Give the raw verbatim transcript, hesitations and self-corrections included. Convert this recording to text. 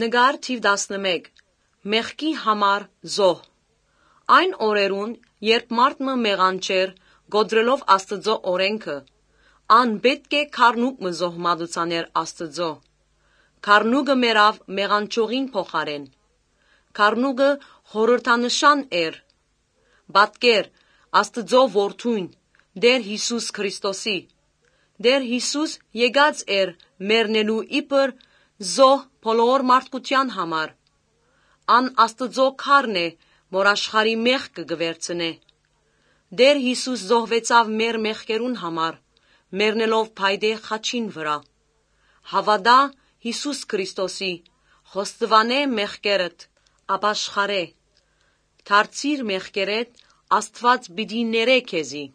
Նկար թիւ տասնմէկ։ Մեղքի համար զոհ։ Այն օրերուն, երբ մարդ մը մեղանչէր կոտրելով Աստուծոյ օրէնքը, ան պէտք է գառնուկ մը զոհ մատուցանէր Աստուծոյ։ Գառնուկը մեռաւ մեղանչողին փոխարէն։ Գառնուկը խորհրդանշան էր, պատկեր Աստուծոյ Որդոյն, Տէր Յիսուս Քրիստոսի։ Տէր Յիսուս եկած էր մեռնելու իբր զոհ բոլոր մարդկութեան համար։ Ան Աստուծոյ գառն է, որ աշխարհի մեղքը կը վերցնէ։ Տէր Յիսուս զոհուեցաւ մեր մեղքերուն համար, մեռնելով փայտե խաչին վրայ։ Հաւատա Յիսուս Քրիստոսի, խոստուանէ մեղքերդ, ապաշխարէ։ Դարձիր մեղքերդ, Աստուած պիտի ներէ քեզի։